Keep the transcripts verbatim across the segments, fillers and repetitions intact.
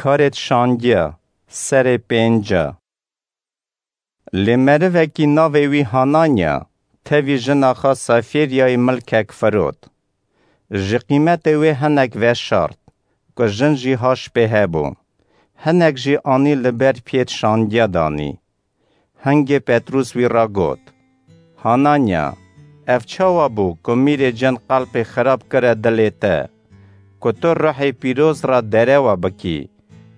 Karêt şandiya, serê pênca. Lê merivekî navê wî Hananya, tevî jina xwe Safîryayê milkek firot. Ji qîmetê wê hinek veşart, ku jin jî haş pê hebû. Hinek jî anî li ber piyêt şandiya danî. Hingê Petrûs wî ra got, Hananya, ev çawa bû ku mîrê cin qelpê xirab kire dilê te, ku tu ruhê pîroz ra derewa bikî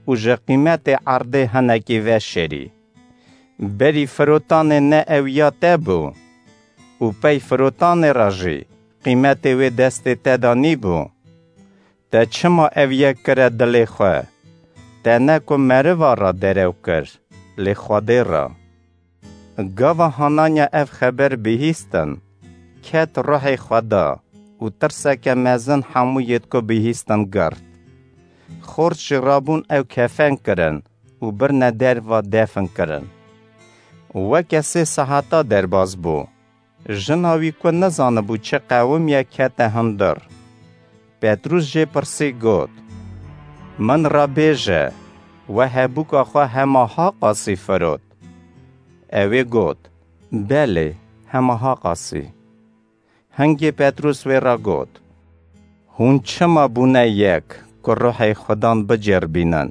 û ji qîmetê erdê hinekî veşêrî? Berî firotanê ne ew ya te bû? Û pey firotanê re jî qîmetê wê destê te de nîbû? Te çima ev yek kire dilê xwe? Te ne ku meriva re derew kir, lê Xwedê re. Gava Hananya ev xeber bihîstin, ket ruhê xwe da û tirseke mezin hemû yêt ku bihîstin girt. Xort jî rabûn ew kefen kirin û birine derva defin kirin. Weke sê seheta derbas bû. Jina wî ku nizanibû çi qewimiye kete hundir. Petrûs jê pirsî got, Min re bêje, we hebûka xwe hema ha qasî firot? Ew ê got, Belê, hema ha qasî. Hingê Petrûs wê re got, Hûn çima bûne yek ku ruhê Xudan bicêrbînin?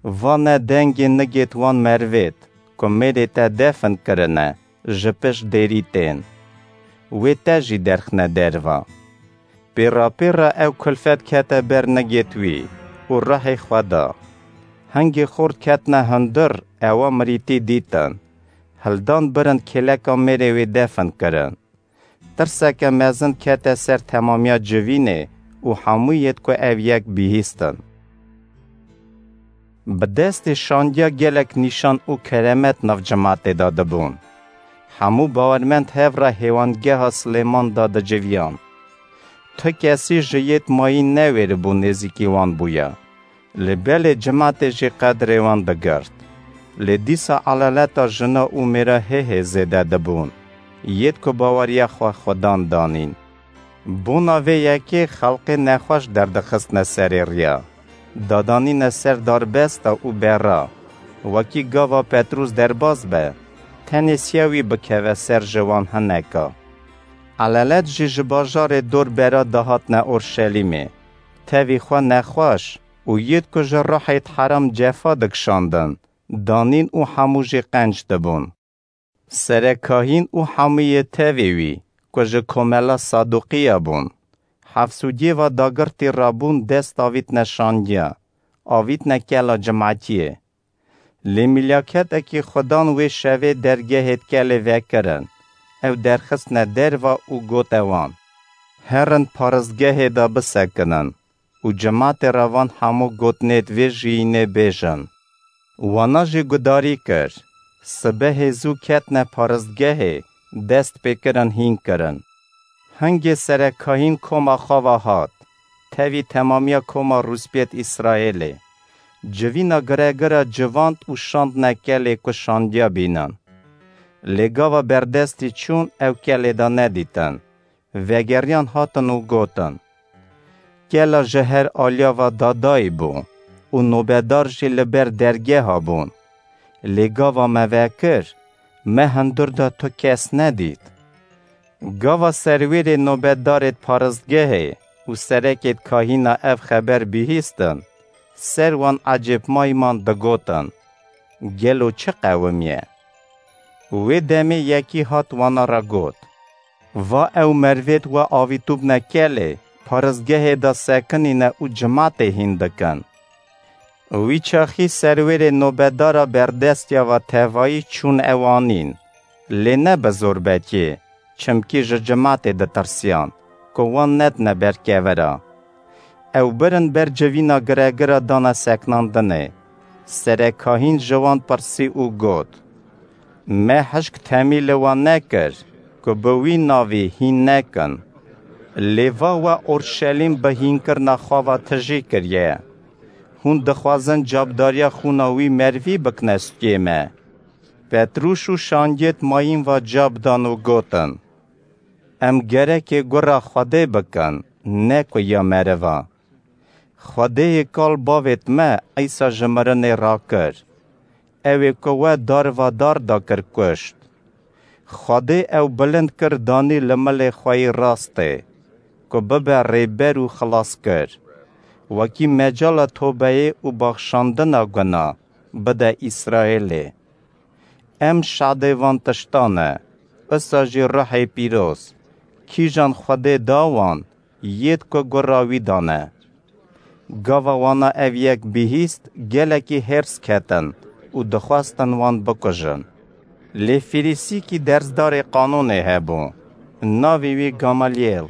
Va ne dengê nigêt wan merivêt ku mêrê te defin kirine, ji pişt dêrî tên. Wê te jî derxine derva. Pêrapêra ew kulfet kete ber nigêt wî û ruhê xwe da. Hingê xort ketine hundir, ewa mirîtî dîtin. Hildan birin kêleka mêrê wê defin kirin. Tirseke mezin kete ser temamiya civînê û hemû yêt ku ev yek bihîstin. Bi destê şandiya gelek nîşan û keremet nav cimatê de dibûn. Hemû bawermend hev re hêwangeha Silêman de diciviyan. Tu kesî ji yêt mayîn newêribû nêzîkî wan bûye. Lê belê cimatê jî qedrê wan digirt. Lê dîsa elaleta jina û mêra hê hê zêde dibûn. Yêt ku baweriya xwe Xudan danîn. Bona vê yekê xelqê nexweş derdixistine serê riya. Dadanîne ser darbesta û bera. Wekî gava Petrûs derbas be, tenê siya wî bikeve ser ji wan hineka. Elalet jî ji bajarê dor bera dihatine Orşelîmê. Tevî xwe nexweş û yêt ku ji ruhêt heram cefa dikişandin, danîn û hemû jî qenc dibûn. Serekahîn û hemû yê tevê wî ku ji komela Saduqiya bûn, hefsûdiyê ve dagirtî rabûn dest avîtine şandiya, avîtine kela cimatiyê. Lê mîlyaketekî Xudan wê şevê dergehêt kelê vekirin, ew derxistine derva û gote wan, Herin paristgehê de bisekinin û cimatê re van hemû gotinêt vê jiyînê bêjin. Wana jî gudarî kir. Sibehê zû ketine paristgehê, dest pê kirin hîn kirin. Hingê serekahîn koma xwe ve hat, tevî temamiya koma rûspiyêt Îsraêlê. Civîna giregira civand û şandine kelê ku şandiya bînin. Lê gava berdestî çûn ew kelê de nedîtin. Vegeriyan hatin û gotin, Kela ji her aliya ve dadayî bû û nobedar jî li ber dergeha bûn. Lê gava me vekir, me hundir de tu kes nedît. Gava serwêrê nobedarêt paristgehê û serekêt kahîna ev xeber bihîstin, ser wan ecêbmayî man digotin, Gelo çi qewimiye? Wê demê yekî hat wana re got, Va ew merivêt we avîtûbne kelê, paristgehê de sekinîne û cimatê hîn dikin. Wî çaxî serwêrê nobedara berdestiya ve tevayî çûn ew anîn, lê ne bi zorbetiyê, çimkî ji cimatê ditirsiyan, ku wan nedine ber kevira. Ew birin ber civîna giregira dane seknandinê. Serekahîn ji wan pirsî û got, Me hişk temî li wan nekir, ku bi wî navî hîn nekin. Lê va we Orşelîm bi hînkirina xwe ve tijî kiriye. Hûn dixwazin cabdariya xûna wî merivî bikine stûyê me. Petrûs û şandiyêt mayîn ve ca bidan û gotin, Em gerekê gura Xwedê bikin, ne ku ya meriva. Xwedêyê kal bavêt me Îsa ji mirinê rakir. Ew ê ku we darva dar da kir kuşt. Xwedê ew bilind kir danî li milê xwe yî rastê, ku bibe rêber û xilaskir. Wekî mecala tobeyê û baxşandina guna bide Îsraêlê. Em şadê van tiştan e, isa jî ruhê pîroz, kîjan Xwedê da wan, yêd ku gura wî dane. Gava wana ev yek bihîst, gelekî hêrs ketin û dixwestin wan bikujin. Lê Fîrîsîkî dersdarê qanûnê hebû, navê wî Gamalyêl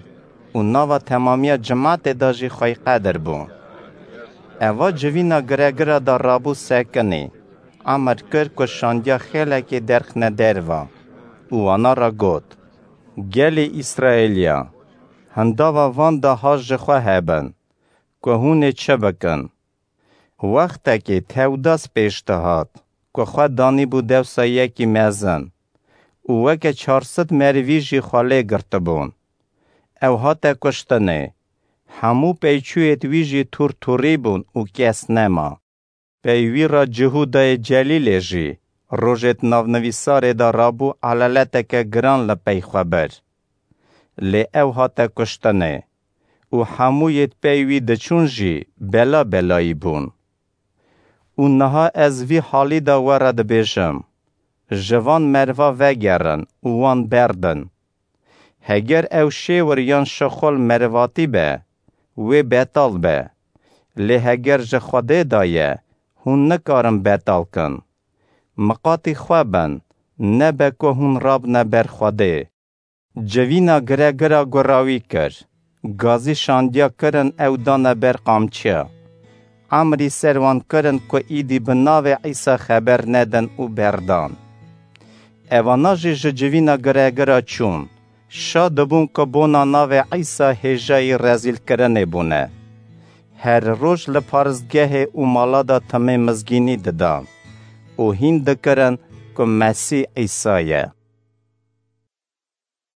û nava temamiya cimatê de jî xweyqedir bû. Eva civîna giregira de rabû sekinî, emir kir ku şandiya xêlekê derxine derva û wana re got, Gelê Îsraêliya, hindava van de haj ji xwe hebin, ku hûn ê çi bikin? Wextekê Tewdas pêş dihat, ku xwe danîbû dewsa yekî mezin û weke çar sed merivî jî xwe lê girtibûn. Ew hate kuştinê. Hemû peyçûyêd wî jî tûr tûrî bûn û kes nema. Pey wî re Cihûdayê Celîlê jî rojêd navnivîsarê de rabû elaleteke giran li pey xwe bir. Lê ew hate kuştinê û hemûyêd pey wî diçûn jî bela belayî bûn. Û niha ez vî halî de we re dibêjim, ji van merva vegerin û wan berdin. Heger ew şêwir yan şixul merivatî be, wê betal be. Lê heger ji Xwedê de ye, hûn nikarin betal kin. Miqatî xwe bin, nebe ku hûn rabne ber Xwedê. Civîna giregira gura wî kir. Gazî şandiya kirin ew dane ber qamçiya. Emrî ser wan kirin ku îdî bi navê Îsa xeber nedin û berdan. Evana jî ji civîna giregira çûn. Şa dibûn ku bona navê Îsa hêjayî rezîlkirinê bûne. Her roj li paristgehê û mala de timê mizgînî didan û hîn dikirin ku Mesîh Îsa ye.